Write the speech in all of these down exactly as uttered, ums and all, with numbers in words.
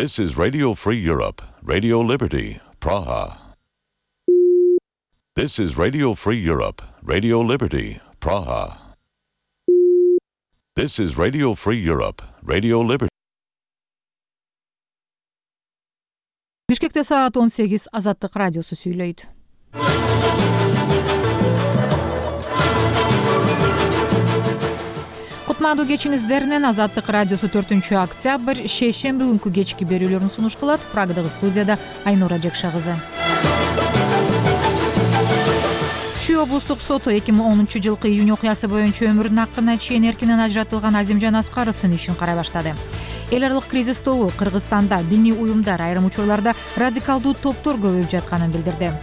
This is Radio Free Europe, Radio Liberty, Praha. This is Radio Free Europe, Radio Liberty, Praha. This is Radio Free Europe, Radio Liberty. Бишкекте саат он сегиз, Азаттык радиосу сүйлөйт. Кутмандуу кечиңиздер менен Азаттык радиосу төртүнчү октябрь шейшемби күнкү кечки берүүлөрүн сунуш кылат. Прагдагы студияда Айнура Жекша кызы. Чүй облустук соту эки миң онунчу жылкы июнь окуясы боюнча өмүрүнүн акырына чейин эркинен ажыратылган Азимжан Аскаровдун ишин карай баштады. Эл аралык кризис тобу Кыргызстанда диний уюмдар айрым учурларда радикалдуу топтор көбөйүп жатканын билдирди.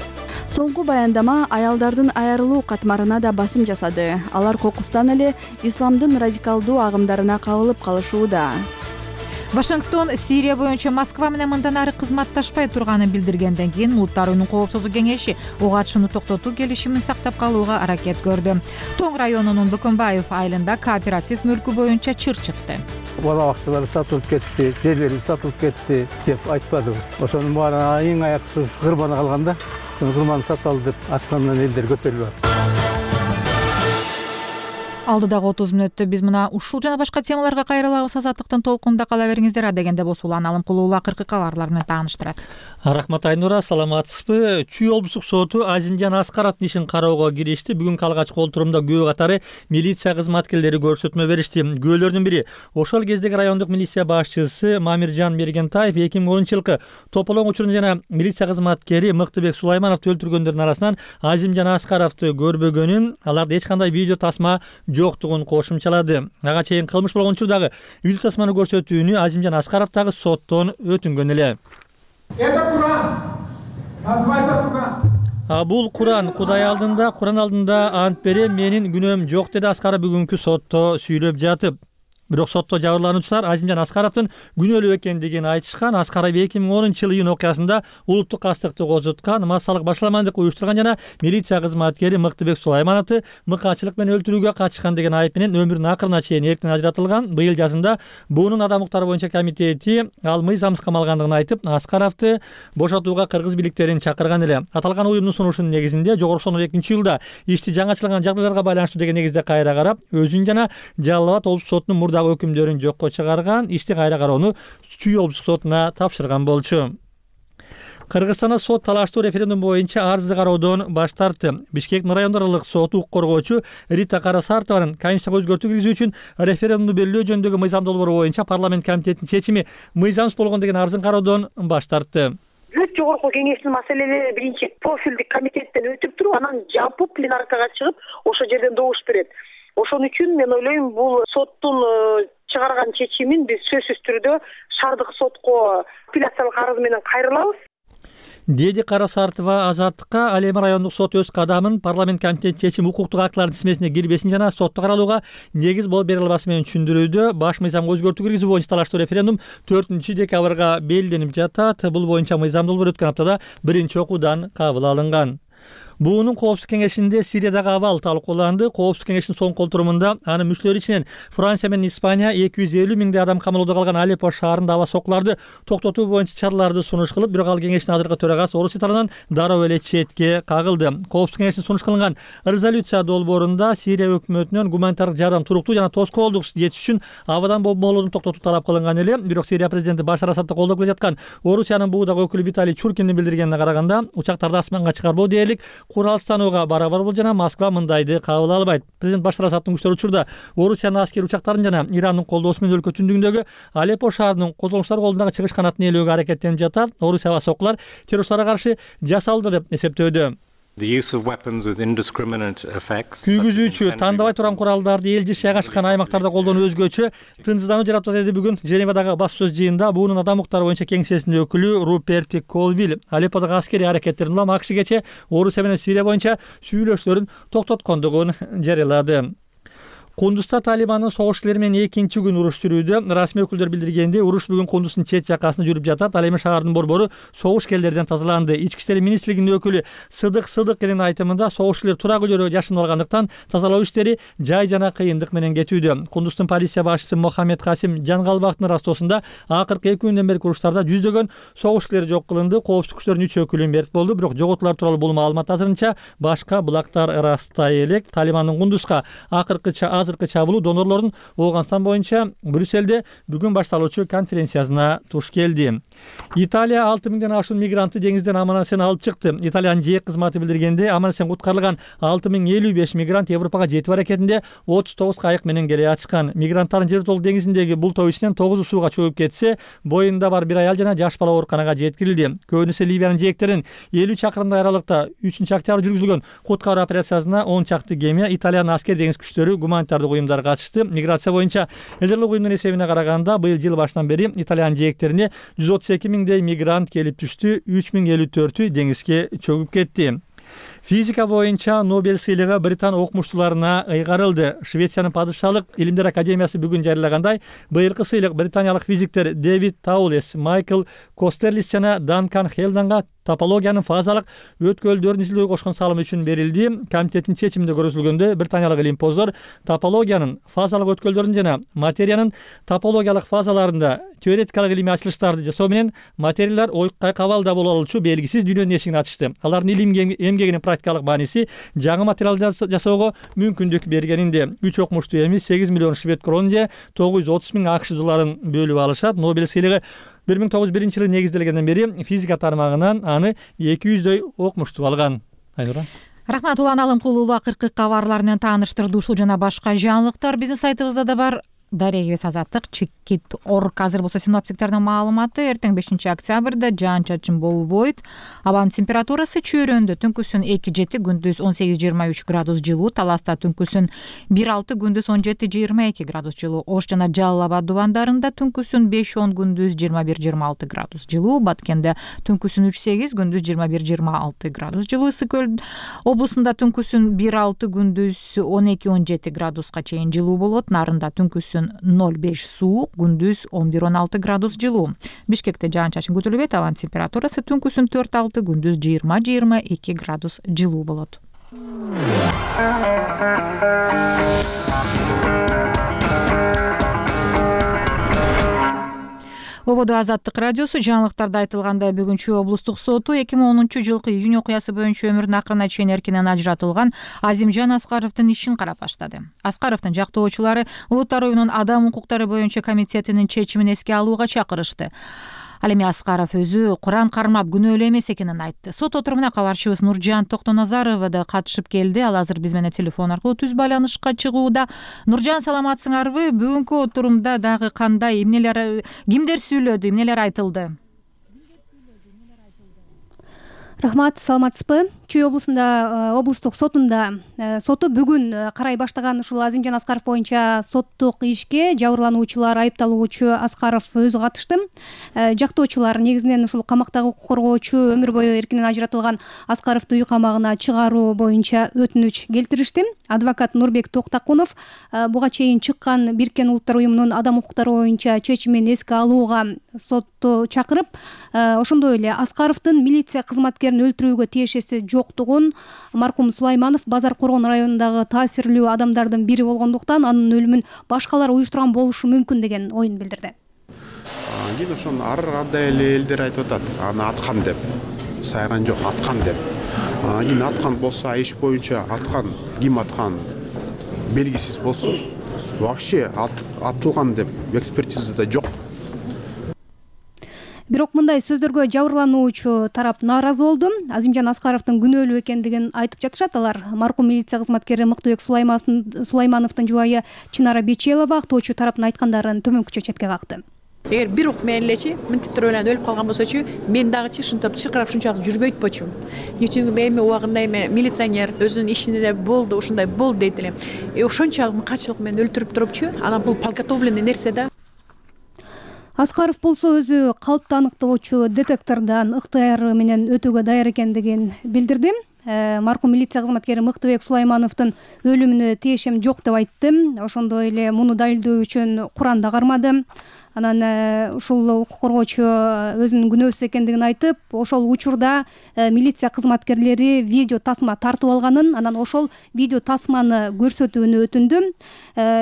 Соңку баяндама аялдардын айрылуу катмарына да басым жасады. Алар кокустан эле исламдын радикалдуу агымдарына кабылып калышууда. Вашингтон Сирия боюнча Москва менен мындан ары кызматташпай турганын билдиргенден кийин Улуттар уюмунун коопсуздук кеңеши ого атышууну токтотуу келишимин сактап калууга аракет көрдү. Тоң районунун Бөкөнбаев айылында кооператив мүлкү боюнча чыр чыкты. Бала бакчалар сатылып кетти, жерлери сатылып кетти деп айтпадым. Ошонун баарына эң аяксыз кырбаны калганда, кырбаны саталды деп аткандан элдер көтөрүлүп. Алдыдагы отуз мүнөттө биз мына ушул жана башка темаларга кайрылабыз. Азаттыктын толкунунда кала бериңиздер. Адегенде Босулан Алым Кулуулу акыркы кабарлар менен тааныштырат. Рахмат Айнура, саламатсызбы? Чүй облустук соту Азимжан Аскаровдун ишин кароого киришти. Бүгүнкү алгачкы отурумда күбө катары милиция кызматкерлери көрсөтмө беришти. Күбөлөрдүн бири ошол кездеги райондук милиция башчысы Мамиржан Мергентаев эки миң онунчу жылкы тополоң учурунда жана милиция кызматкери Мыктыбек Сулаймановду өлтүргөндөрдүн арасынан Азимжан Аскаровду көрбөгөнүн, аларда эч кандай видео тасма жоктугун кошумчалады. Ага чейин кылмыш болгон учурдагы видео тасманы көрсөтүүнү Азимжан Аскаров дагы соттон өтүнгөн эле. Это Куран. Называется Куран. А бул Куран, Кудай алдында, Куран алдында ант берем, менин күнөөм жок, деди Аскаров бүгүнкү сотто сүйлөп жатып. Бирок сотто жабырлануучулар Азимжан Аскаровдун күнөөлүү экендигин айтышкан. Аскаров эки миң онунчу жылы июнь окуясында улуттук кастыкты козуткан, массалык башаламандык уюштурган жана милиция кызматкери Мыктыбек Сулаймановду мыкаачылык менен өлтүрүүгө катышкан деген айып менен өмүрүнүн акырына чейин эрктен ажыратылган. Быйыл жазында буунун адам укуктары боюнча комитети ал мыйзамсыз камалгандыгын айтып, Аскаровду бошотууга кыргыз бийликтерин чакырган эле. Аталган уюмдун сунушунун негизинде жогорку сотунун экинчи жылда ишти жаңычылган жагдайларга байланыштуу деген негизде кайра карап, өзүн жана Жалал Абад облустук сотунун мурда өкүмдөрүн жокко чыгарган, ишти кайра кароону Чүй облустук сотуна тапшырган болчу. Кыргызстанда сот талаштуу референдум боюнча арызды кароодон баш тартты. Бишкек райондор аралык соту укук коргоочу Рита Карасартованын Конституцияга өзгөртүү киргизүү үчүн референдумду белгилөө жөнүндөгү мыйзам долбоору боюнча парламент комитетинин чечими мыйзамсыз болгон деген арызын кароодон баш тартты. Бүт жогорку кеңештин маселелери биринчи профилдик комитеттен өтүп туруп, анан жалпы пленаркага чыгып, ошол жерден добуш берет. Ошон үчүн мен ойлойм, бул соттун чыгарган чечимин биз сөзсүз түрдө шаардык сотко апелляциялык арыз менен кайрылабыз. Деди Карасартова Азаттыкка. Ал эми райондук сот өз кадамын парламент комитети чечим укуктук актылардын тизмесине кирбесин жана сотто каралууга негиз болуп бере албасын менен түшүндүрүүдө. Баш мыйзамга өзгөртүү киргизүү боюнча талаштуу референдум төртүнчү декабрга белгиленип жатат. Бул боюнча мыйзам долбоору өткөн аптада биринчи окуудан кабыл алынган. Буунун коопсуздук кеңешинде Сириядагы абал талкууланды. Коопсуздук кеңештин соңку отурумунда анын мүчөлөрү ичинен Франция менен Испания эки жүз элүү миңдей адам камалоодо калган Алеппо шаарында аба сокуларды токтотуу боюнча чараларды сунуш кылып, бирок ал кеңештин азыркы төрагасы Орусия тарабынан дароо эле четке кагылды. Коопсуздук кеңештин сунуш кылынган резолюция долбоорунда Сирия өкмөтүнөн гуманитардык жардам туруктуу жана тоскоолдук жетиш үчүн абадан бомболоодун токтотуу талап кылынган эле. Бирок Сирия президенти Башар Асадты колдоп келе жаткан Орусиянын буудагы өкүлү Виталий Чуркиндин билдиргенине караганда, учактарды асманга чыгарбоо дээрлик куралстанууга барабар бул жана Москва мындайды кабыл албайт. Президент Башар Асадтын күчтөрү учурда Орусиянын аскери учактарын жана Ирандын колдоосу менен өлкө түндүгүндөгү Алеппо шаарынын козголуштар колундагы чыгыш канатын ээлөөгө аракеттенип жатат. Орусия аба сокулар террористтарга каршы жасалды деп эсептөөдө. Күйгүзүүчү тандабай турган куралдарды эл жашай ашкан аймактарда колдонуу өзгөчө тынчсыздануу жаратат, деди бүгүн Женевадагы басуу сөз жыйынында буунун адам укуктары боюнча кеңсесинин өкүлү Руперт Колвилл. Алепподагы аскери аракеттерин улам АКШ кечээ Орусия менен Сирия боюнча сүйлөшүүлөрүн токтоткондугун жарыялады. Кундузда Талибандын согушчулары менен экинчи күн уруш жүрүүдө. Расмий өкүлдөр билдиргенде, уруш бүгүн Кундуздун чет жакасында жүрүп жатат. Ал эми шаардын борбору согушкерлерден тазаланды. Ички иштер министрлигинин өкүлү Сыдык Сыдыковдун айтымында, согушчулар турак үйлөргө жашынып алгандыктан тазалоо иштери жай жана кыйындык менен кетүүдө. Кундуздун полиция башчысы Мохаммед Касим Жангалбактын растоосунда акыркы эки күндөн берки уруштарда жүздөгөн согушчулар жок кылынды. Коопсуздук күчтөрүнүн үч өкүлү мерт болду, бирок жоготуулар тууралуу бул маалымат азырынча башка булактар ырастай элек. Талибандын Кундузга акыркы азыркы чабуулу донорлордун Ооганстан боюнча Брюссельде бүгүн башталуучу конференциясына туш келди. Италия алты миңден ашуун мигрантты деңизден аман-эсен алып чыкты. Италиянын жээк кызматы билдиргенде, аман-эсен куткарылган алты миң элүү беш мигрант Европага жетүү аракетинде отуз тогуз кайык менен келе ачкан. Мигранттардын Жер-Толук деңизиндеги бул топ ичинен тогузу сууга чөгүп кетсе, боюнда бар бир аял жана жаш бала ооруканага жеткирилди. Көбүнесе Ливиянын жээктерин элүү чакырымдай аралыкта үчүнчү октябрь жүргүзүлгөн куткаруу операциясына он чакты кеме, Италиянын аскер деңиз күчтөрү, гуманитардык уюмдар катышты. Миграция боюнча элдерлик уюмдун эсебине караганда, быйыл жыл башынан бери Италиянын жээктерине жүз отуз эки миңдей мигрант келип түштү, үч миң элүү төртү деңизге чөгүп кетти. Физика боюнча Нобель сыйлыгы Британ окумуштууларына ыйгарылды. Швециянын падышалык илимдер академиясы бүгүн жарыялагандай, быйылкы сыйлык британиялык физиктер Дэвид Таулес, Майкл Костерлис жана Данкан Хелданга топологиянын фазалык өткөлдөрүн изилдөөгө кошкон салымы үчүн берилди. Комитеттин чечиминде көрсөтүлгөндөй, британиялык илимпоздор топологиянын фазалык өткөлдөрүн жана материянын топологиялык фазаларында теоретикалык илимий ачылыштарды жасоо менен материялар ойукка кабалда боло алуучу белгисиз дүйнөнүн эшигин ачышты. Алардын илим эмгегинин практикалык мааниси жаңы материал жасоого мүмкүндүк бергенинде. Үч окумуштуу эми сегиз миллион швед кроны же тогуз жүз отуз миң акш долларын бөлүп алышат. Нобель сыйлыгы бир миң тогуз жүз биринчи жылы негизделгенден бери физика тармагынан аны эки жүздөй окумуштуу алган. Айнура. Рахмат, Улан Алымкулуулу акыркы кабарлар менен тааныштырды. Ушул жана башка жаңылыктар биздин сайтыбызда да бар. Дарега Азаттык чекит орг. Азыр болсо синоптиктердин маалыматы: эртең бешинчи октябрда жаан чачын болбойт. Абанын температурасы чөйрөндө түнкүсүн эки жети, күндүз он сегиз жыйырма үч градус жылуу, Таласта түнкүсүн бир алты, күндүз он жети жыйырма эки градус жылуу, Ош жана Жалал Абад дубандарында түнкүсүн беш он, күндүз жыйырма бир жыйырма алты градус жылуу, Баткенде түнкүсүн үч сегиз, күндүз жыйырма бир жыйырма алты градус жылуу, Ысык Көл облусунда түнкүсүн бир алты, күндүз он эки он жети градуска чейин жылуу болот. Нарында түнкүсүн ноль беш суук, күндүз он бир он алты градус жылуу. Бишкекте жаан-чачын күтүлбөйт. Абанын температурасы түнкүсүн төрт алты, күндүз жыйырма жыйырма эки градус жылуу болот. Ободо Азаттык радиосу. Жаңылыктарда айтылгандай, бүгүнчү облустук соту эки миң онунчу жылкы июнь окуясы боюнча өмүрүн акырына чейин эркинен ажыратылган Азимжан Аскаровдун ишин карап баштады. Аскаровдун жактоочулары Улуттар уюмунун адам укуктары боюнча комитетинин чечимин эске алууга чакырышты. Ал эми Аскаров өзү Куран кармап күнөөлүү эмес экенин айтты. Сот отурумуна кабарчыбыз Нуржан Токтоназарова да катышып келди. Ал азыр биз менен телефон аркылуу түз байланышка чыгууда. Нуржан, саламатсыңарбы? Бүгүнкү отурумда дагы кандай, эмнелер, кимдер сүйлөдү, эмнелер айтылды? Рахмат, саламатсызбы? Чүй облусунда облустук сотунда соту бүгүн карай баштаган ушул Азимжан Аскаров боюнча соттук ишке жабырлануучулар, айыпталуучу Аскаров өзү катышты. Жактоочулар негизинен ушул камактагы укук коргоочу өмүр бою эркинен ажыратылган Аскаровду үй камагына чыгаруу боюнча өтүнүч келтиришти. Адвокат Нурбек Токтакунов буга чейин чыккан Бириккен Улуттар уюмунун адам укуктары боюнча чечимин эске алууга сотту чакырып, ошондой эле Аскаровдун милиция кызматкерин өлтүрүүгө тиешеси жоктугун, маркум Сулайманов Базар Коргон районундагы таасирлүү адамдардын бири болгондуктан анын өлүмүн башкалар уюштурган болушу мүмкүн деген оюн билдирди. Кийин ошону ар кандай эле элдер айтып атат, аны аткан деп, сайган жок, аткан деп. Кийин аткан болсо, иш боюнча аткан, ким аткан белгисиз болсун. Вообще атылган деп экспертизада жок. Бирок мындай сөздөргө жабырлануучу тарап нааразы болду. Азимжан Аскаровдун күнөөлүү экендигин айтып жатышат. Алар маркум милиция кызматкери Мыктыбек Сулаймановдун жубайы Чынара Бечелова актоочу тараптын айткандарын төмөнкүчө четке какты. Эгер бир ук менен элечи мынтиптер менен өлүп калган болсочу, мен дагы чышынтып чыркырап ушунчалык жүрбөйт болчумун. Үчүн эми убагында эми милиционер өзүнүн ишинде болду, ушундай болду дейт элем. Э ошончалык качылык менен өлтүрүп турупчу, анан бул подготовленный нерсе да. Аскаров болсо өзү калпты аныктоочу детектордон ыктыяры менен өтүүгө даяр экендигин билдирди. маркум милиция кызматкери Мыктыбек Сулаймановдун өлүмүнө тиешем жок деп айтты. Ошондой эле муну далилдөө үчүн Куран да кармады. Анан ушул укук коргоочу өзүнүн күнөөсүз экендигин айтып, ошол учурда милиция кызматкерлери видео тасма тартып алганын, анан ошол видео тасманы көрсөтүүнү өтүндү.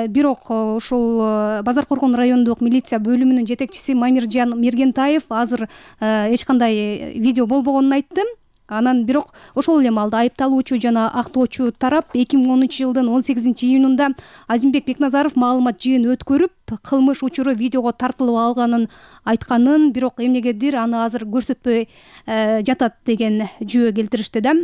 Бирок ушул Базар Коргон райондук милиция бөлүмүнүн жетекчиси Мамиржан Мергентаев азыр эч кандай видео болбогонун айтты. Анан бирок ошол эле маалда айыпталуучу жана актоочу тарап эки миң онунчу жылдын он сегизинчи июнунда Азимбек Бекназаров маалымат жыйын өткөрүп, кылмыш учуру видеого тартылып алганын айтканын, бирок эмнегедир аны азыр көрсөтпөй жатат деген жүйө келтиришти да.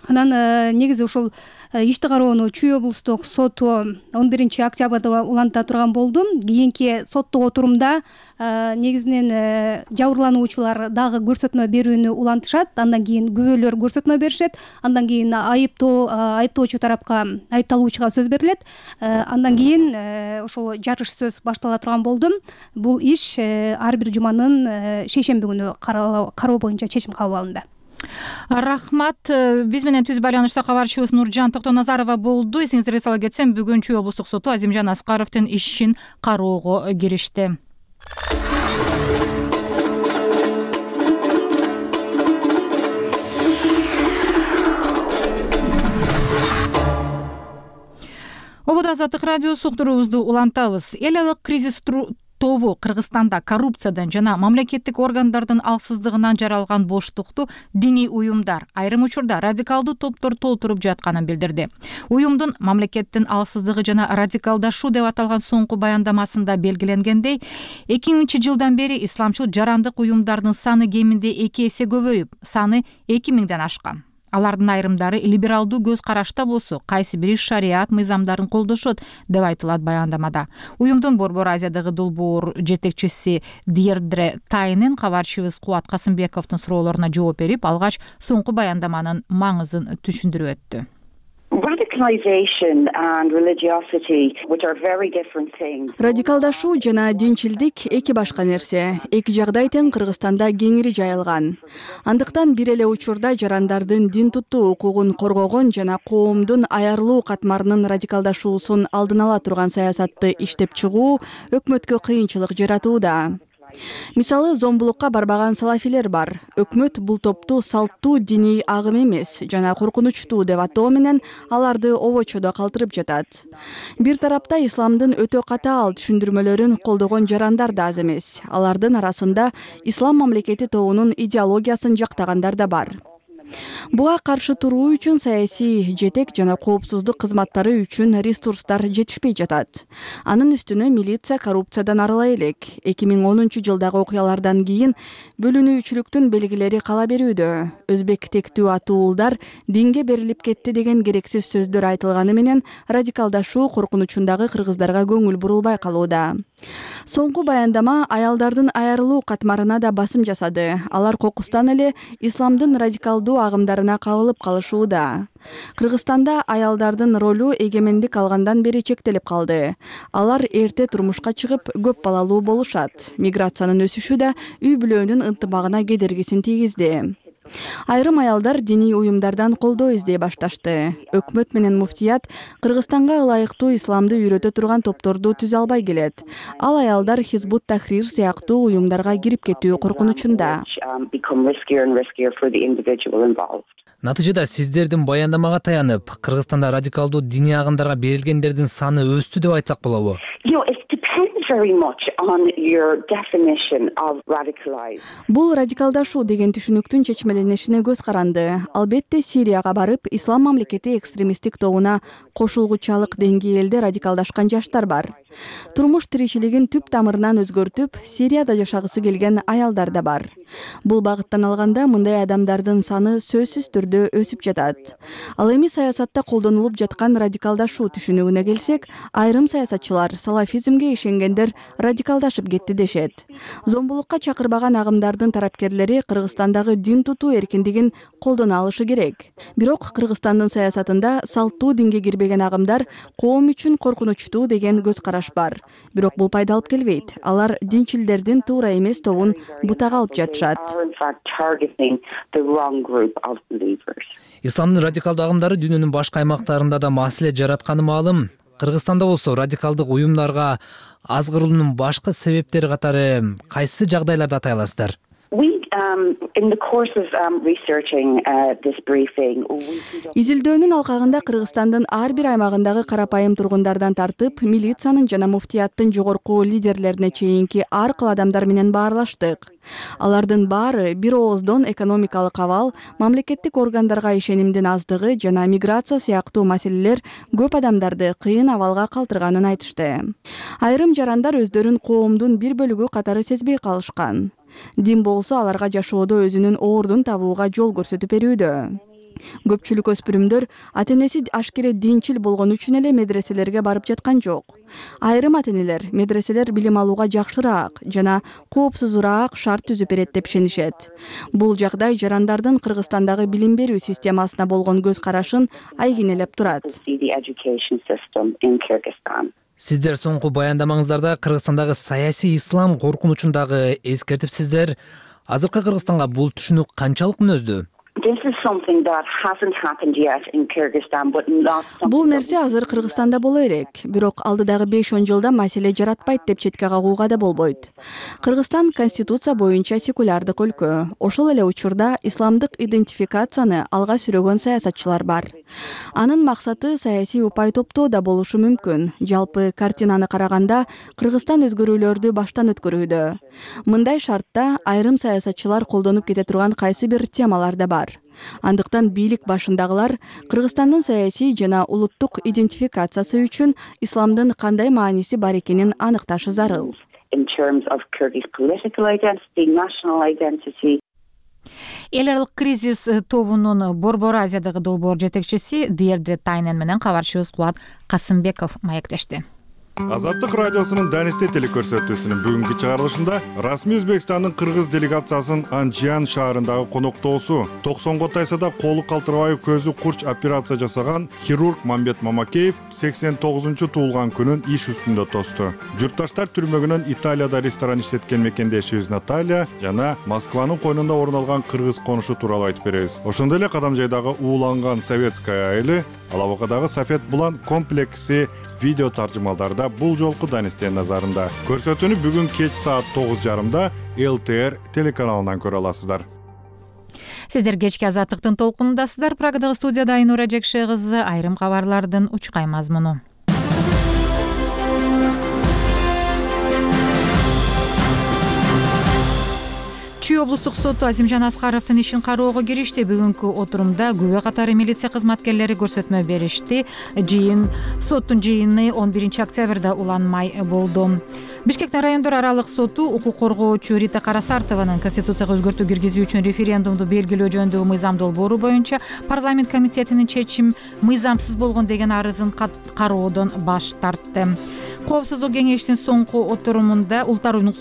Анан негизи ушул ишти кароону Чүй облустук соту он биринчи октябрда уланта турган болду. Кийинки соттук отурумда негизинен жабырлануучулар дагы көрсөтмө берүүнү улантышат, андан кийин күбөлөр көрсөтмө беришет, андан кийин айыптоо айыптоочу тарапка, айыпталуучуга сөз берилет, андан кийин ошол жарыш сөз баштала турган болду. Бул иш ар бир жуманын шейшемби күнү кароо боюнча чечим кабыл алынды. Рахмат. Биз менен түз байланышта кабарчыбыз Нуржан Токтоназарова болду. Эсиңизге сала кетсем, бүгүн Чүй облустук соту Азимжан Аскаровдун ишин кароого киришти. Ободо Азаттык радиосу уктуруубузду улантабыз. Эл алык кризис тобу Кыргызстанда коррупциядан жана мамлекеттик органдардын алсыздыгынан жаралган боштукту диний уюмдар, айрым учурда радикалдуу топтор толтуруп жатканын билдирди. Уюмдун мамлекеттин алсыздыгы жана радикалдашуу деп аталган соңку баяндамасында белгиленгендей, эки миңинчи жылдан бери исламчыл жарандык уюмдардын саны кеминде эки эсе көбөйүп, саны эки миңден ашкан. Алардын айрымдары либералдуу көз карашта болсо, кайсы бири шариат мыйзамдарын колдошот деп айтылат баяндамада. Уюмдун Борбор Азиядагы долбоор жетекчиси Дирдре Тайнен кабарчыбыз Кубат Касымбековдун суроолоруна жооп берип, алгач соңку баяндаманын маңызын түшүндүрүп өттү. Радикалдашуу жана динчилдик эки башка нерсе. Эки жагдай тең Кыргызстанда кеңири жайылган. Андыктан бир эле учурда жарандардын дин туттуу укугун коргогон жана коомдун аярлуу катмарынын радикалдашуусун алдын ала турган саясатты иштеп чыгуу өкмөткө кыйынчылык жаратууда. Мисалы, зомбулукка барбаган салафилер бар. Өкмөт бул топту салттуу диний агым эмес жана коркунучтуу деп атоо менен аларды обочодо калтырып жатат. Бир тарапта исламдын өтө катаал түшүндүрмөлөрүн колдогон жарандар да аз эмес. Алардын арасында ислам мамлекети тобунун идеологиясын жактагандар да бар. Буга каршы туруу үчүн саясий жетек жана коопсуздук кызматтары үчүн ресурстар жетишпей жатат. Анын үстүнө милиция коррупциядан арыла элек. эки миң онунчу жылдагы окуялардан кийин бөлүнүүчүлүктүн белгилери кала берүүдө. Өзбек тектүү атуулдар динге берилип кетти деген керексиз сөздөр айтылганы менен радикалдашуу коркунучундагы кыргыздарга көңүл бурулбай калууда. Соңку баяндама аялдардын айрылуу катмарына да басым жасады. Алар кокустан эле исламдын радикалдуу агымдарына кабылып калышууда. Кыргызстанда аялдардын ролу эгемендик алгандан бери чектелип калды. Алар эрте турмушка чыгып, көп балалуу болушат. Миграциянын өсүшү да үй бүлөнүн ынтымагына кедергисин тийгизди. Айрым аялдар диний уюмдардан колдоо издей башташты. Өкмөт менен муфтият Кыргызстанга ылайыктуу исламды үйрөтө турган топторду түзө албай келет. Ал аялдар Хизбут Тахрир сыяктуу уюмдарга кирип кетүү коркунучунда. Натыйжада сиздердин баяндамага таянып, Кыргызстанда радикалдуу диний агымдарга берилгендердин саны өстү деп айтсак болобу? Бул радикалдашуу деген түшүнүктүн чечмеленишине көз каранды. Албетте Сирияга барып, ислам мамлекети экстремисттик тобуна кошулгучалык деңгээлде радикалдашкан жаштар бар. Турмуш тиричилигин түп тамырынан өзгөртүп, Сирияда жашагысы келген аялдар да бар. Бул багыттан алганда мындай адамдардын саны сөзсүз түрдө өсүп жатат. Ал эми саясатта колдонулуп жаткан радикалдашуу түшүнүгүнө келсек, айрым саясатчылар салафизмге ишенгендер радикалдашып кетти дешет. Зомбулукка чакырбаган агымдардын тарапкерлери Кыргызстандагы дин тутуу эркиндигин колдоно алышы керек. Бирок Кыргызстандын саясатында салттуу динге кирбеген агымдар коом үчүн коркунучтуу деген көз караш бар. Бирок бул пайда алып келбейт. Алар динчилдердин туура эмес тобун бутага алып жатышат. Исламдын радикалдуу агымдары дүйнөнүн башка аймактарында да маселе жаратканы маалым. Кыргызстанда болсо радикалдык уюмдарга азгыруунун башкы себептери катары кайсы жагдайларды атай аласыздар? Изилдөөнүн алкагында Кыргызстандын ар бир аймагындагы карапайым тургундардан тартып, милициянын жана муфтияттын жогорку лидерлерине чейинки ар кыл адамдар менен баарлаштык. Алардын баары бир ооздон экономикалык абал, мамлекеттик органдарга ишенимдин аздыгы жана миграция сыяктуу маселелер көп адамдарды кыйын абалга калтырганын айтышты. Айрым жарандар өздөрүн коомдун бир бөлүгү катары сезбей калышкан. Дин болсо аларга жашоодо өзүнүн ордун табууга жол көрсөтүп берүүдө. Көпчүлүк өспүрүмдөр ата-энеси ашкере динчил болгон үчүн эле медреселерге барып жаткан жок. Айрым ата-энелер медреселер билим алууга жакшыраак жана коопсузураак шарт түзүп берет деп ишенишет. Бул жагдай жарандардын Кыргызстандагы билим берүү системасына болгон көз карашын айгинелеп турат. Сиздер соңку баяндамаңыздарда Кыргызстандагы саясий ислам коркунучун дагы эскертипсиздер. Азыркы Кыргызстанга бул түшүнүк канчалык мүнөздүү? Бул нерсе азыр Кыргызстанда боло элек, бирок алдыдагы беш он жылда маселе жаратпайт деп четке кагууга да болбойт. Кыргызстан конституция боюнча секулярдык өлкө. Ошол эле учурда исламдык идентификацияны алга сүрөгөн саясатчылар бар. Анын максаты саясий упай топтоо да болушу мүмкүн. Жалпы картинаны караганда Кыргызстан өзгөрүүлөрдү баштан өткөрүүдө. Мындай шартта айрым саясатчылар колдонуп кете турган кайсы бир темалар да бар. Андыктан бийлик башындагылар Кыргызстандын саясий жана улуттук идентификациясы үчүн исламдын кандай мааниси бар экенин аныкташы зарыл. Эл аралык кризис тобунун Борбор Азиядагы долбоор жетекчиси Диердре Тайнен менен кабарчыбыз Кубат Касымбеков маектешти. Азаттык радиосунун Данисте телекөрсөтүүсүнүн бүгүнкү чыгарылышында расмий Өзбекстандын кыргыз делегациясынын Анжиан шаарындагы коноктоосу, токсонго тайса да колу калтырбай көзү курч операция жасаган хирург Мамбет Мамакеев сексен тогузунчу туулган күнүн иш үстүндө тосту. Журтташтар түрмөгүнөн Италияда ресторан иштеткен мекендешибиз Наталья жана Москванын койнунда орун алган кыргыз конушу тууралуу айтып беребиз. Ошондой эле Кадамжайдагы ууланган советская айылы, Алабакадагы Сафет Булан комплекси видео таржымалдарда бул жолку Данистен назарында. Көрсөтүүнү бүгүн кеч саат тогуз жарымда эл тэ эр телеканалынан көрө аласыздар. Сиздер кечки Азаттыктын толкунундасыздар. Прагадагы студияда Айнура Жекше кызы, айрым кабарлардын учкай мазмуну. Чүй облустук соту Азимжан Аскаровдун ишин кароого киришти. Бүгүнкү отурумда күбө катары милиция кызматкерлери көрсөтмө беришти. Жыйын соттун жыйыны он биринчи октябрда уланмай болду. Бишкектин райондор аралык соту укук коргоочу Рита Карасартованын конституцияга өзгөртүү киргизүү үчүн референдумду белгилөө жөнүндөгү мыйзам долбоору боюнча парламент комитетинин чечим мыйзамсыз болгон деген арызын кароодон баш тартты. Коопсуздук кеңешинин соңку отурумунда улуттар уюмунун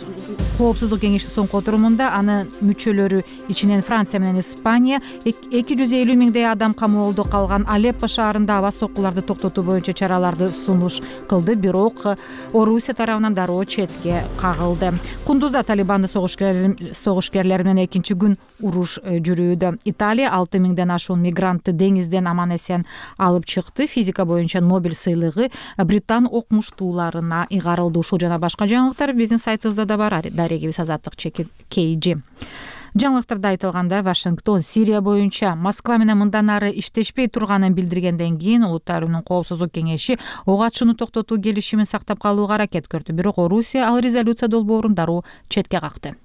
коопсуздук кеңешинин соңку отурумунда анын мүчөлөрү ичинен Франция менен Испания эки жүз элүү миңдей адам камоолдо калган Алеппо шаарында аба соккуларды токтотуу боюнча чараларды сунуш кылды, бирок Орусия тарабынан дароо четке кагылды. Кундузда Талибандын согушкерлери менен экинчи күн уруш жүрүүдө. Италия алты миңден ашуун мигрантты деңизден аман эсен алып чыкты. Физика боюнча Нобель сыйлыгы Британ окумуштууларына ыйгарылды. Ушул жана башка жаңылыктар биздин сайтыбызда да бар. Дарегибиз Азаттык кей жи. Жаңылыктарда айтылгандай, Вашингтон Сирия боюнча Москва менен мындан ары иштешпей турганын билдиргенден кийин Улуттар уюмунун коопсуздук кеңеши ок атышууну токтотуу келишимин сактап калууга аракет көрдү. Бирок Орусия ал резолюция долбоорун дароо четке какты.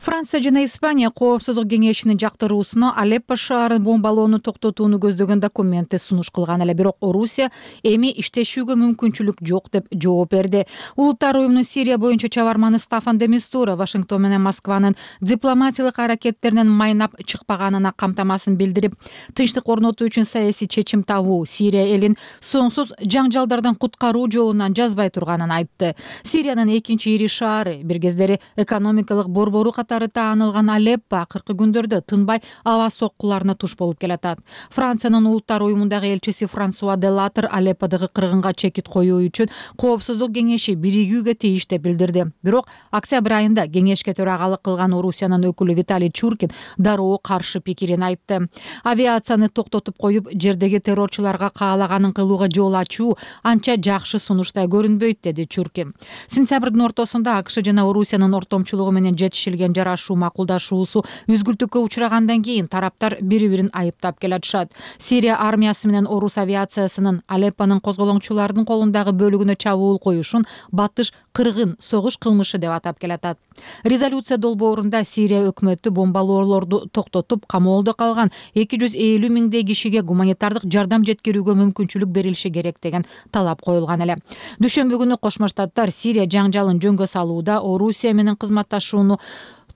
Франция жана Испания коопсуздук кеңешинин жактыруусуна Алеппо шаарын бомбалоону токтотууну көздөгөн документти сунуш кылган эле, бирок Орусия эми иштешүүгө мүмкүнчүлүк жок деп жооп берди. Улуттар уюмунун Сирия боюнча чабарманы Стафан де Мистура Вашингтон менен Москванын дипломатиялык аракеттеринен майнап чыкпаганына камтамасын билдирип, тынчтык орнотуу үчүн саясий чечим табуу, Сирия элин соңсуз жаңжалдардан куткаруу жолунан жазбай турганын айтты. Сириянын экинчи ири шаары, бир кездери экономикалык борбору катары таанылган Алеппо акыркы күндөрдө тынбай аба соккуларына туш болуп келатат. Франциянын улуттар уюмундагы элчиси Франсуа Делатер Алепподогу кыргынга чекит коюу үчүн Коопсуздук кеңеши биригүүгө тийиш деп билдирди. Бирок октябрь айында кеңешке төрагалык кылган Орусиянын өкүлү Виталий Чуркин дароо каршы пикирин айтты. Авиацияны токтотуп коюп, жердеги террорчуларга каалаганын кылууга жол ачуу анча жакшы сунуштай көрүнбөйт, деди Чуркин. Сентябрдын ортосунда АКШ жана Орусиянын ортомчулугу менен жетишилген жарашуу макулдашуусу үзгүлтүккө учурагандан кийин тараптар бири-бирин айыптап келатышат. Сирия армиясы менен Орус авиациясынын Алеппонун козголоңчулардын колундагы бөлүгүнө чабуул коюшун батыш кыргын согуш кылмышы деп атап келатат. Резолюция долбоорунда Сирия өкмөтү бомбалоолорду токтотуп, камоолдо калган эки жүз элүү миңдей кишиге гуманитардык жардам жеткирүүгө мүмкүнчүлүк берилиши керек деген талап коюлган эле. Дүшөмбү күнү Кошмо Штаттар Сирия жаңжалын жөнгө салууда Орусия менен кызматташууну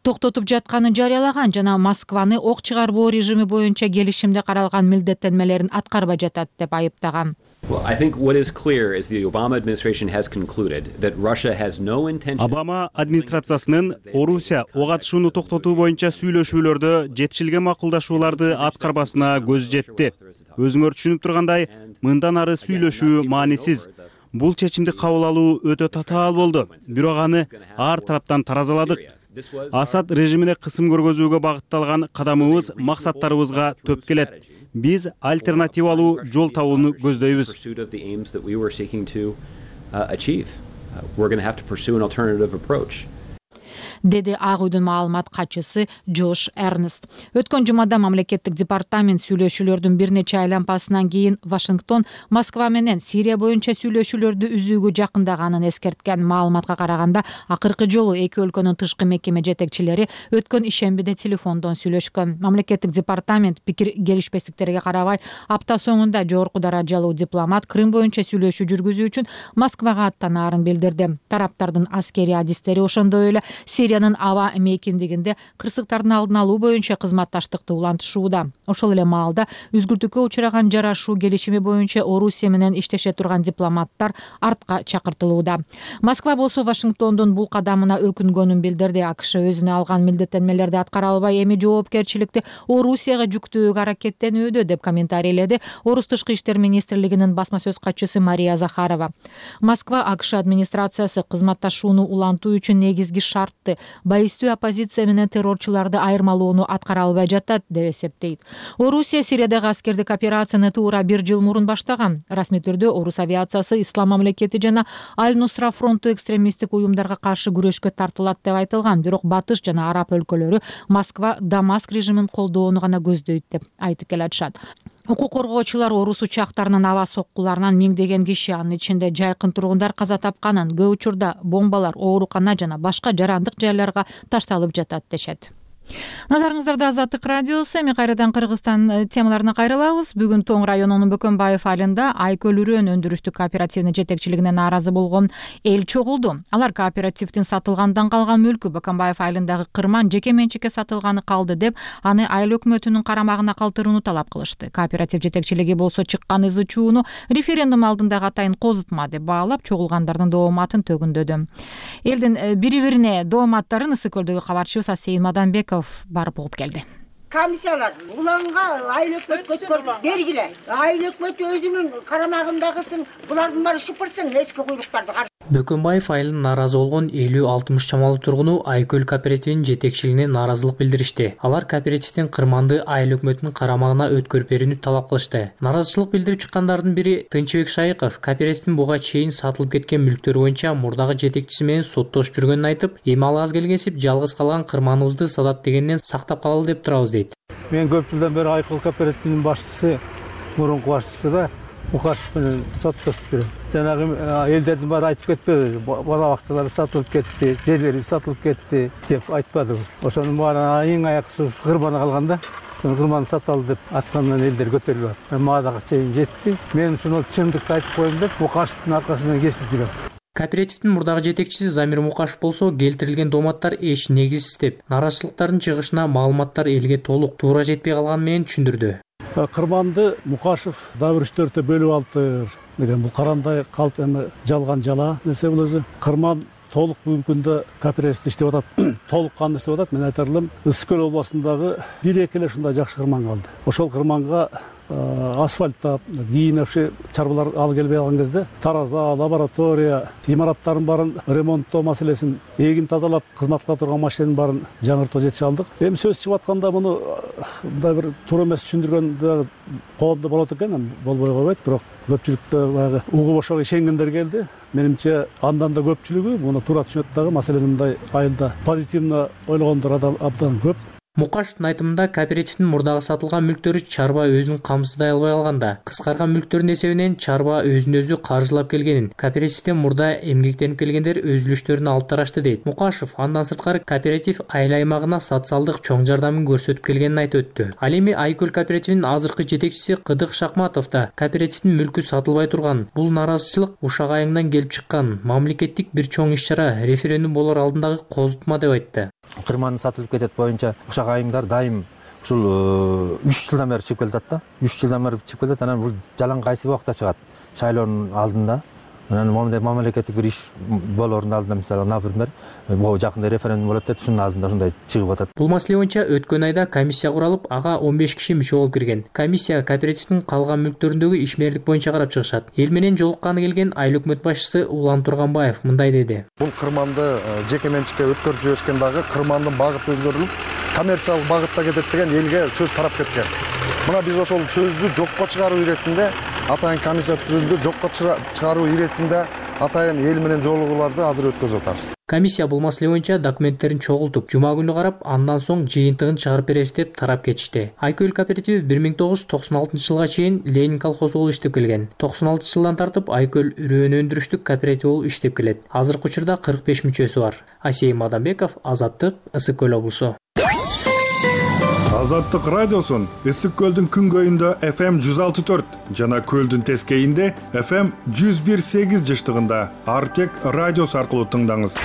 токтотуп жатканын жарыялаган жана Москваны ок чыгарбоо режими боюнча келишимде каралган милдеттенмелерин аткарбай жатат деп айыптаган. Обама администрациясынын Орусия ок атышууну токтотуу боюнча сүйлөшүүлөрдө жетишилген макулдашууларды аткарбасына көзү жетти. Өзүңөр түшүнүп тургандай, мындан ары сүйлөшүү маанисиз. Бул чечимди кабыл алуу өтө татаал болду. Бирок аны ар тараптан таразаладык. Асад режимине кысым көргөзүүгө багытталган кадамыбыз максаттарыбызга төп келет. Биз альтернативалуу жол табууну көздөйбүз. Деди Ак үйдүн маалымат катчысы Джош Эрнест. Өткөн жумада мамлекеттик департамент сүйлөшүүлөрдүн бир нече айланпасынан кийин Вашингтон Москва менен Сирия боюнча сүйлөшүүлөрдү үзүүгө жакындаганын эскерткен. Маалыматка караганда, акыркы жолу эки өлкөнүн тышкы мекеме жетекчилери өткөн ишембиде телефондон сүйлөшкөн. Мамлекеттик департамент пикир келишпестиктерге карабай, апта соңунда жогорку даражалуу дипломат Крым боюнча сүйлөшүү жүргүзүү үчүн Москвага аттанаарын билдирди. Тараптардын аскери адистери ошондой эле Сириянын аба мейкиндигинде кырсыктардын алдын алуу боюнча кызматташтыкты улантышууда. Ошол эле маалда үзгүлтүккө учураган жарашуу келишими боюнча Орусия менен иштеше турган дипломаттар артка чакыртылууда. Москва болсо Вашингтондун бул кадамына өкүнгөнүн билдирди. АКШ өзүнө алган милдеттенмелерди аткара албай, эми жоопкерчиликти Орусияга жүктөөгө аракеттенүүдө деп комментарийледи Орус тышкы иштер министрлигинин басма сөз катчысы Мария Захарова. Москва АКШ администрациясы кызматташууну улантуу үчүн негизги шартты байыстуу оппозиция менен террорчуларды айырмалоону аткара албай жатат деп эсептейт. Орусия Сириядагы аскердик операцияны туура бир жыл мурун баштаган. Расмий түрдө Орус авиациясы Ислам мамлекети жана Аль-Нусра фронту экстремисттик уюмдарга каршы күрөшкө тартылат деп айтылган. Бирок Батыш жана Араб өлкөлөрү Москва Дамаск режимин колдоону гана көздөйт деп айтып келатышат. Укук коргоочулар Орус учактарынын аба соккуларынан миңдеген киши, анын ичинде жайкын тургундар каза тапканын, көп учурда бомбалар оорукана жана башка жарандык жайларга ташталып жатат дешет. Назарыңыздарда Азаттык радиосу. Эми кайрадан Кыргызстан темаларына кайрылабыз. Бүгүн Тоң районунун Бөкөнбаев айылында Айкөл Үрөн өндүрүштүк кооперативинин жетекчилигине нааразы болгон эл чогулду. Алар кооперативдин сатылгандан калган мүлкү Бөкөнбаев айылындагы кырман жеке менчикке сатылганы калды деп, аны айыл өкмөтүнүн карамагына калтырууну талап кылышты. Кооператив жетекчилиги болсо чыккан ызы чууну референдум алдындагы атайын козутма деп баалап, чогулгандардын дооматын төгүндөдү. Элдин бири-бирине дооматтарын Ысык көлдөгү кабарчыбыз Асейин Маданбек барып угуп келди. Комиссиялар уланга айыл өкмөткө өткөрүп бергиле. Айыл өкмөтү өзүнүн карамагындагысын, булардын баары шыпырсын, эски куйлуктарды. Бөкөнбаев айылын нааразы болгон элүү алтымыш чамалуу тургуну Айкөл кооперативинин жетекчилигине нааразылык билдиришти. Алар кооперативдин кырманды айыл өкмөтүнүн карамагына өткөрүп берүүнү талап кылышты. Нааразычылык билдирип чыккандардын бири Тынчыбек Шайыков кооперативдин буга чейин сатылып кеткен мүлктөрү боюнча мурдагы жетекчиси менен соттошуп жүргөнүн айтып, эми ал аз келгенсип жалгыз калган кырманыбызды сатат дегенден сактап калалы деп турабыз дейт. Мен көп жылдан бери Айкөл кооперативинин башчысы, мурунку башчысы да Мукашев менен соттошуп жүрөм. Жанагы элдердин баары айтып кетпеди, бала бакчалар сатылып кетти, жерлери сатылып кетти деп айтпадыбы. Ошонун баары эң аяксыз кырманы калганда, кырманы саталы деп аткандан элдер көтөрүлүп атты. Мага дагы чейин жетти. Мен ушуну чындыкты айтып коем деп Мукашевдин аркасы менен кесип жүрөм. Кооперативдин мурдагы жетекчиси Замир Мукашев болсо келтирилген дооматтар эч негизсиз деп, нааразычылыктардын чыгышына маалыматтар элге толук туура жетпей калганы менен түшүндүрдү. Кырманды Мукашев дагы бир үч төрттө бөлүп алыптыр деген бул карандай калп эми жалган жала нерсе бул өзү. Кырман толук бүгүнкү күндө кооператив иштеп атат, толук кандуу иштеп атат. Мен айтар элем, Ысык көл областындагы бир эки эле ушундай жакшы кырман калды. Ошол кырманга асфальттап, кийин вообще чарбалар алып келбей калган кезде тараза, лаборатория, имараттардын баарын ремонттоо маселесин, эгин тазалап кызмат кыла турган машинанын баарын жаңыртып жетише алдык. Эми сөз чыгып атканда муну мындай бир туура эмес түшүндүргөн коомдо болот экен, болбой койбойт, бирок көпчүлүктө баягы угуп ошого ишенгендер келди. Менимче андан да көпчүлүгү муну туура түшүнөт дагы, маселени мындай айылда позитивно ойлогондор абдан көп. Мукашевдин айтымында кооперативдин мурдагы сатылган мүлктөрү чарба өзүн камсыздай албай калганда, кыскарган мүлктөрдүн эсебинен чарба өзүн өзү каржылап келгенин, кооперативден мурда эмгектенип келгендер өз үлүштөрүн алып тарашты дейт. Мукашев андан сырткары кооператив айыл аймагына социалдык чоң жардамын көрсөтүп келгенин айтып өттү. Ал эми Айкөл кооперативинин азыркы жетекчиси Кыдык Шакматов да кооперативдин мүлкү сатылбай турган, бул наразычылык Ушак айыңдан келип чыккан мамлекеттик бир чоң иш-чара, референдум болор алдындагы козутма деп айтты. Кырман сатылып кетет боюнча Ушак айыңдар дайым ушул үч жылдан бери чыгып келатат да. үч жылдан бери чыгып келет. Анан бул жалаң кайсы убакта чыгат? Шайлоонун алдында. Анан момундай мамлекеттик бир иш болоордун алдында, мисалы, например, могу жакында референдум болот деп, ушунун алдында ушундай чыгып атат. Бул маселе боюнча өткөн айда комиссия куралып, ага он беш киши мүчө болуп кирген. Комиссия кооперативдин калган мүлктөрүндөгү ишмерлик боюнча карап чыгышат. Эл менен жолукканы келген айыл өкмөт башчысы Улан Турганбаев мындай деди. Бул кырманды жеке менчикке өткөрүп жиберишкен дагы кырмандын багыты өзгөрүлүп, коммерциялык багытта кетет деген элге сөз тарап кеткен. Мына биз ошол сөздү жокко чыгаруу иретинде атайын комиссия түзүлдү, жокко чыгаруу иретинде атайын эл менен жолугууларды азыр өткөзүп атабыз. Комиссия бул маселе боюнча документтерин чогултуп, жума күнү карап, андан соң жыйынтыгын чыгарып беребиз деп тарап кетишти. Айкөл кооперативи бир миң тогуз жүз токсон алтынчы жылга чейин Ленин колхозу болуп иштеп келген. токсон алтынчы жылдан тартып Айкөл үрөөн өндүрүштүк кооператив болуп иштеп келет. Азыркы учурда кырк беш мүчөсү бар. Асейим Адамбеков, Азаттык, Ысык көл облусу. Азаттык радиосун Ысык көлдүн күнгөйүндө эф эм жүз алты төрт жана көлдүн тескейинде эф эм жүз бир сегиз жыштыгында Артек радиосу аркылуу тыңдаңыз.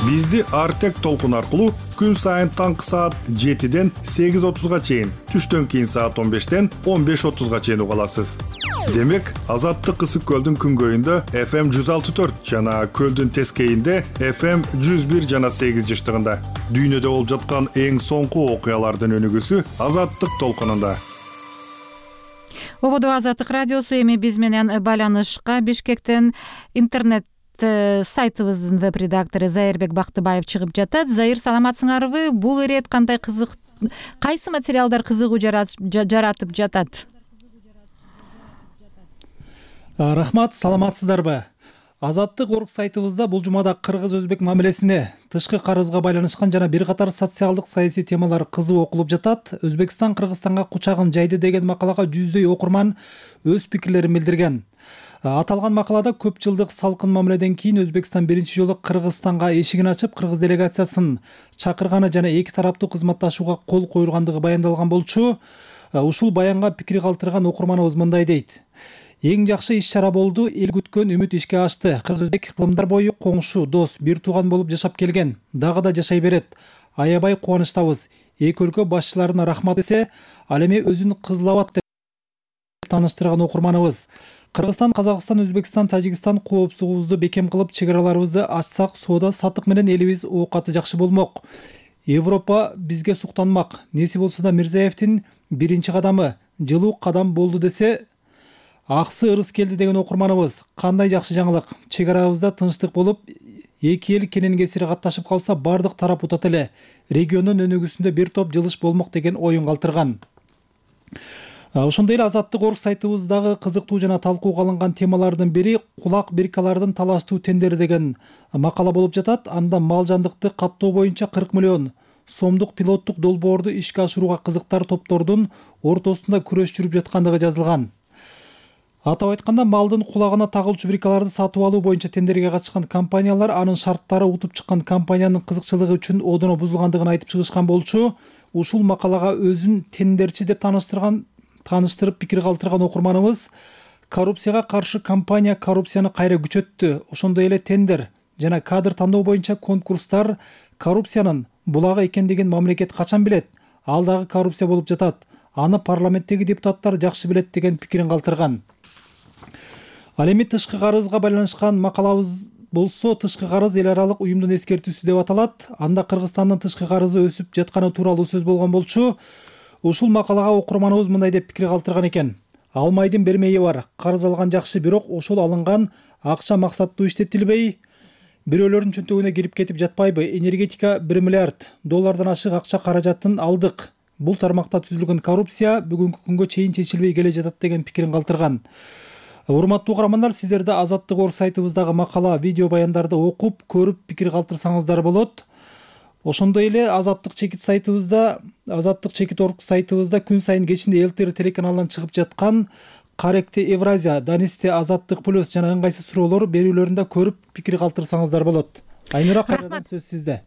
Бизди Артек толкун аркылуу күн сайын таңкы саат жетиден сегиз отузга чейин, түштөн кийин саат он бештен он беш отузга чейин уга аласыз. Демек, Азаттык Ысык көлдүн күнгөйүндө эф эм жүз алты төрт жана көлдүн тескейинде эф эм жүз бир жана сегиз жыштыгында. Дүйнөдө болуп жаткан эң соңку окуялардын өнүгүүсү Азаттык толкунунда. Ободо Азаттык радиосу эми биз менен байланышка Бишкектен интернет сайтыбыздын веб-редактору Зайырбек Бактыбаев чыгып жатат. Зайыр, саламатсыңарбы? Бул ирет кандай кызык, кайсы материалдар кызыгуу жаратып жатат? Рахмат, саламатсыздарбы? Азаттык орг сайтыбызда бул жумада кыргыз-өзбек мамилесине, тышкы карызга байланышкан жана бир катар социалдык саясий темалар кызуу окулуп жатат. Өзбекстан Кыргызстанга кучагын жайды деген макалага жүздөй окурман өз пикирлерин билдирген. Аталган макалада көп жылдык салкын мамиледен кийин Өзбекстан биринчи жолу Кыргызстанга эшигин ачып, кыргыз делегациясын чакырганы жана эки тараптуу кызматташууга кол коюлгандыгы баяндалган болчу. Ушул баянга пикир калтырган окурманыбыз мындай дейт. Эң жакшы иш-чара болду, эл күткөн үмүт ишке ашты. Кыргыз-өзбек кылымдар бою коңшу, дос, бир тууган болуп жашап келген. Дагы да жашай берет. Аябай кубанычтабыз. Эки өлкө башчыларына рахмат десе, ал эми өзүн Кызыл Абад деп тааныштырган окурманыбыз. Кыргызстан, Казакстан, Өзбекстан, Тажикстан коопсуздугубузду бекем кылып, чек араларыбызды ачсак, соода саттык менен элибиз оокаты жакшы болмок. Европа бизге суктанмак. Неси болсо да Мирзиевдин биринчи кадамы жылуу кадам болду десе, аксы ырыс келди деген окурманыбыз. Кандай жакшы жаңылык. Чек арабызда тынчтык болуп, эки эл кенен кесири катташып калса, бардык тарап утат эле. Региондун өнүгүүсүндө бир топ жылыш болмок деген оюн калтырган. Ошондой эле Азаттык орг сайтыбыздагы кызыктуу жана талкууга алынган темалардын бири кулак биркалардын талаштуу тендери деген макала болуп жатат. Анда мал жандыкты каттоо боюнча кырк миллион сомдук пилоттук долбоорду ишке ашырууга кызыктар топтордун ортосунда күрөш жүрүп жаткандыгы жазылган. Атап айтканда, малдын кулагына тагылчу биркаларды сатып алуу боюнча тендерге катышкан компаниялар анын шарттары утуп чыккан компаниянын кызыкчылыгы үчүн одоно бузулгандыгын айтып чыгышкан болчу. Ушул макалага өзүн тендерчи деп тааныштырган тааныштырып пикир калтырган окурманыбыз коррупцияга каршы компания коррупцияны кайра күчөттү. Ошондой эле тендер жана кадр тандоо боюнча конкурстар коррупциянын булагы экендигин мамлекет качан билет? Ал дагы коррупция болуп жатат. Аны парламенттеги депутаттар жакшы билет деген пикирин калтырган. Ал эми тышкы карызга байланышкан макалабыз болсо тышкы карыз эл аралык уюмдун эскертүүсү деп аталат. Анда Кыргызстандын тышкы карызы өсүп жатканы тууралуу сөз болгон болчу. Ушул макалага окурманыбыз мындай деп пикир калтырган экен. Алмайдын бермейи бар. Карыз алган жакшы, бирок ошол алынган акча максаттуу иштетилбей, бирөөлөрдүн чөнтөгүнө кирип кетип жатпайбы? Энергетика бир миллиард доллардан ашык акча каражатын алдык. Бул тармакта түзүлгөн коррупция бүгүнкү күнгө чейин чечилбей келе жатат деген пикирин калтырган. Урматтуу угармандар, сиздер да Азаттык орг сайтыбыздагы макала, видео баяндарды окуп, көрүп пикир калтырсаңыздар болот. Ошондой эле Азаттык чекит сайтыбызда, Азаттык чекит орг сайтыбызда күн сайын кечинде ЛТР телеканалынан чыгып жаткан Каректе Евразия, Данисте Азаттык плюс жана ыңгайсыз суроолор берүүлөрүндө көрүп пикир калтырсаңыздар болот. Айнура, кайрадан сөз сизде.